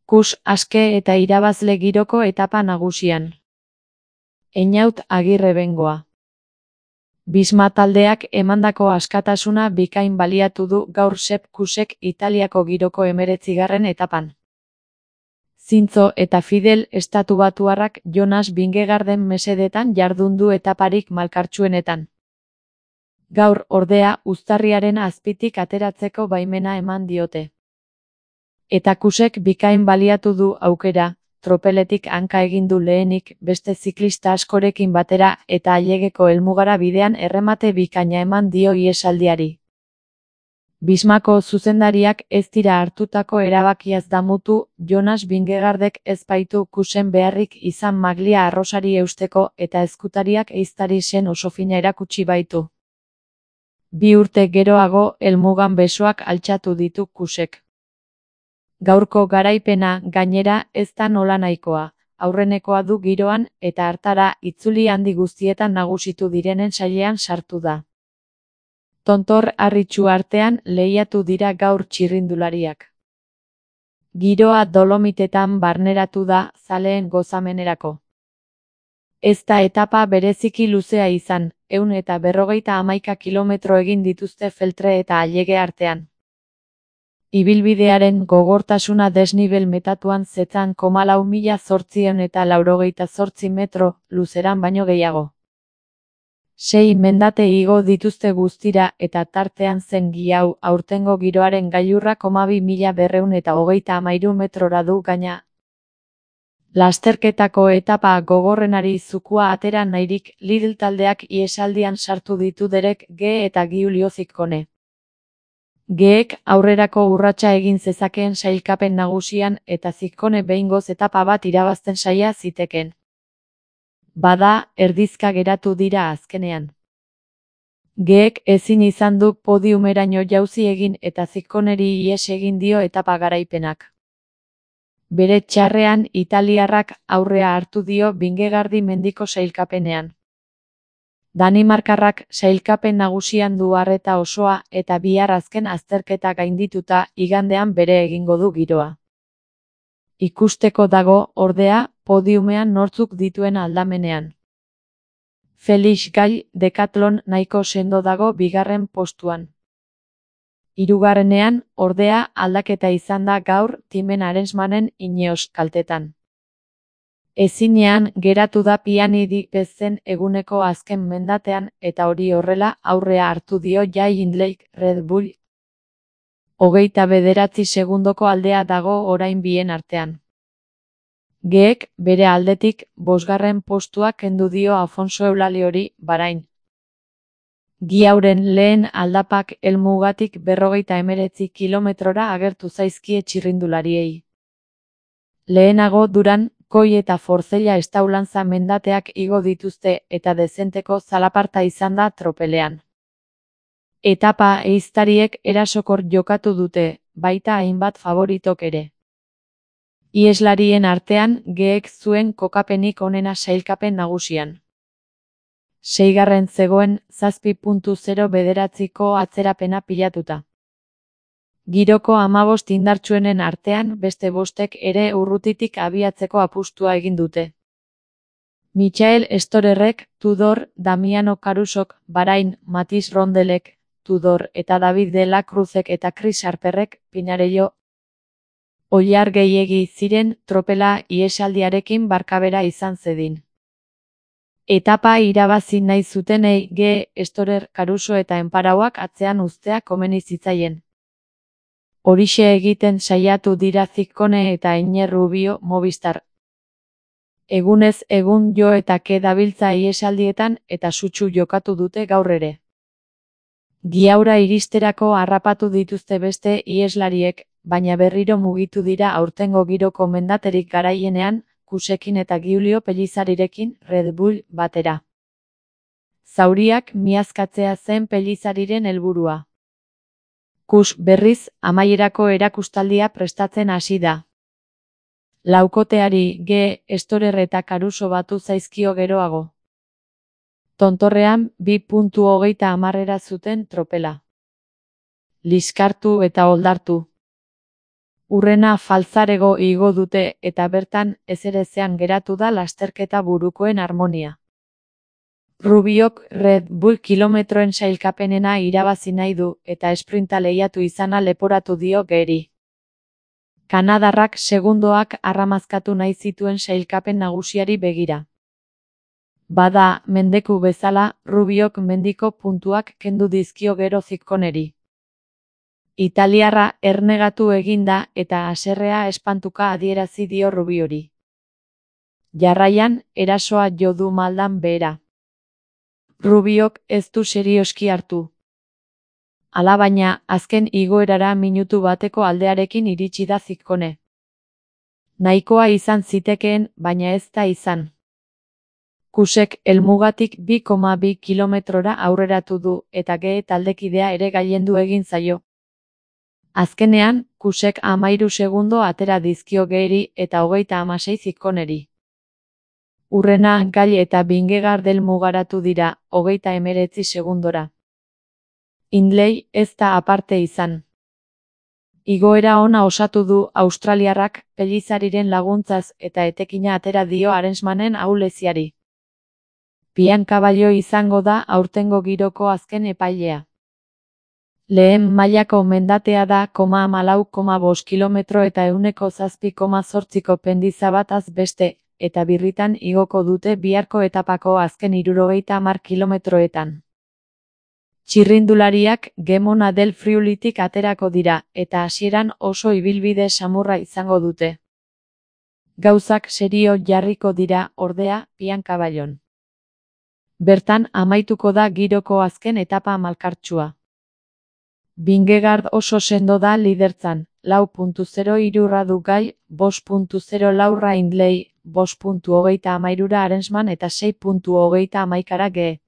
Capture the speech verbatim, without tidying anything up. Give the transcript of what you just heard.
Kus aske eta irabazle giroko etapa nagusian. Einaut Agirre Bengoa. Bisma taldeak emandako askatasuna bikain baliatu du gaur Sepp Kussek Italiako giroko hemeretzigarren etapan. Zintzo eta fidel estatubatuarrak Jonas Vingegaarden mesedetan jardun du etaparik malkartsuenetan. Gaur, ordea, uztarriaren azpitik ateratzeko baimena eman diote. Eta Kussek bikain baliatu du aukera, tropeletik hanka egin du lehenik beste ziklista askorekin batera eta ailegeko helmugara bidean erremate bikaina eman dio ihesaldiari. Bismako zuzendariak ez dira hartutako erabakiaz damutu, Jonas Vingegaardek ez baitu Kussen beharrik izan maglia arrosari eusteko eta ezkutariak ehiztari zen oso fina erakutsi baitu. Bi urte geroago helmugan besoak altxatu ditu Kussek. Gaurko garaipena, gainera, ez da nolanahikoa, aurrenekoa du giroan eta hartara itzuli handi guztietan nagusitu direnen sailean sartu da. Tontor harritsu artean lehiatu dira gaur txirrindulariak. Giroa Dolomitetan barneratu da zaleen gozamenerako. Ez da etapa bereziki luzea izan, ehun eta berrogeita hamaika kilometro egin dituzte Feltre eta Allege artean. Ibilbidearen gogortasuna desnibel metatuan zetzan koma lau mila zortziehun eta laurogeita zortzi metro luzeran baino gehiago. Sei mendate igo dituzte guztira eta tartean zen giau aurtengo giroaren gailurra koma bi mila berrehun eta hogeita hamairu metrora du gaina. Lasterketako etapa gogorrenari zukua atera nahirik Lidl taldeak ihesaldian sartu ditu Derek G eta Giulio Ciccone. Geek aurrerako urratsa egin zezakeen sailkapen nagusian eta Ciccone behingoz etapa bat irabazten saia ziteken. Bada, erdizka geratu dira azkenean. Geek ezin izan du podiumeraino jauzi egin eta Cicconeri ihes egin dio etapa garaipenak. Bere txarrean italiarrak aurrea hartu dio Vingegaardi mendiko sailkapenean. Danimarkarrak sailkapen nagusian du arreta osoa eta bihar azken azterketa gaindituta igandean bere egingo du giroa. Ikusteko dago, ordea, podiumean nortzuk dituen aldamenean. Felix Gall Decathlon nahiko sendo dago bigarren postuan. Hirugarrenean, ordea, aldaketa izan da gaur Timen Arensmanen Ineos kaltetan. Ezinean geratu da Piani Di Pezen eguneko azken mendatean eta hori horrela aurrea hartu dio Jai Hindley Red Bull. Hogeita bederatzi segundoko aldea dago orain bien artean. Geek, bere aldetik, bosgarren postua kendu dio Afonso Eulaliori, Bahrain. Giauren lehen aldapak helmugatik berrogeita hemeretzi kilometrora agertu zaizkie txirrindulariei. Lehenago Duran, Koi eta Forzella Estaulantza mendateak igo dituzte eta dezenteko zalaparta izan da tropelean. Etapa ehiztariek erasokor jokatu dute, baita hainbat favoritok ere. Iheslarien artean, Geek zuen kokapenik onena sailkapen nagusian. Seigarren zegoen zazpi puntu zero bederatziko atzerapena pilatuta. Giroko hamabost indartsuenen artean beste bostek ere urrutitik abiatzeko apustua egin dute. Michael Storerrek, Tudor, Damiano Carusok, Bahrain, Mathieu Rondelek, Tudor eta David de la Cruzek eta Chris Harperrek, Pinarello. Oilar gehiegi ziren tropela ihesaldiarekin barkabera izan zedin. Etapa irabazi nahi zutenei G, Storer, Caruso eta Enparauak atzean uztea komeni zitzaien. Horixe egiten saiatu dira Ciccone eta Iner Rubio Movistar. Egunez egun jo eta ke dabiltza ihesaldietan eta sutsu jokatu dute gaur ere. Giaura iristerako harrapatu dituzte beste iheslariek, baina berriro mugitu dira aurtengo giroko mendaterik garaienean, Kussekin eta Giulio Pellizzarirekin Red Bull batera. Zauriak miazkatzea zen Pellizzariren helburua. Kuss berriz, amaierako erakustaldia prestatzen hasi da. Laukoteari G, Storer eta Caruso batu zaizkio geroago. Tontorrean, bi puntu hogeita hamarrera zuten tropela. Liskartu eta oldartu. Urrena faltzarego igo dute eta bertan ezerezean geratu da lasterketa burukoen harmonia. Rubiok Red Bull kilometroen sailkapenena irabazi nahi du eta esprinta lehiatu izana leporatu dio Geri. Kanadarrak segundoak arramazkatu nahi zituen sailkapen nagusiari begira. Bada, mendeku bezala, Rubiok mendiko puntuak kendu dizkio gero Zicconeri. Italiarra ernegatu eginda eta haserrea espantuka adierazi dio Rubiori. Jarraian, erasoa jo du maldan behera. Rubiok ez du serioski hartu. Alabaina, azken igoerara minutu bateko aldearekin iritsi da Ciccone. Nahikoa izan zitekeen, baina ez da izan. Kusek helmugatik bi koma bi kilometrora aurreratu du eta Ge taldekidea ere gailendu egin zaio. Azkenean, Kusek hamairu segundo atera dizkio Geri eta hogeita hamasei Zicconeri. Urrena Gail eta Vingegaard helmugaratu dira, hogeita hemeretzi segundora. Hindley ez da aparte izan. Igoera ona osatu du australiarrak Pelizariren laguntzaz eta etekina atera dio Arensmanen ahuleziari. Pian Cavallo izango da aurtengo giroko azken epailea. Lehen mailako mendatea da koma hamalau koma bost kilometro eta ehuneko zazpi koma zortziko pendiza bataz beste, eta birritan igoko dute biharko etapako azken hirurogeita hamar kilometroetan. Txirrindulariak Gemona del Friulitik aterako dira, eta hasieran oso ibilbide samurra izango dute. Gauzak serio jarriko dira, ordea, Pian Cavallon. Bertan amaituko da giroko azken etapa malkartsua. Vingegaard oso sendo da lidertzan, lau puntu zero hirura du Gail, bost puntu zero laura Hindley, bost puntu hogeita hamairura Arensman eta sei puntu hogeita hamaikara Ge.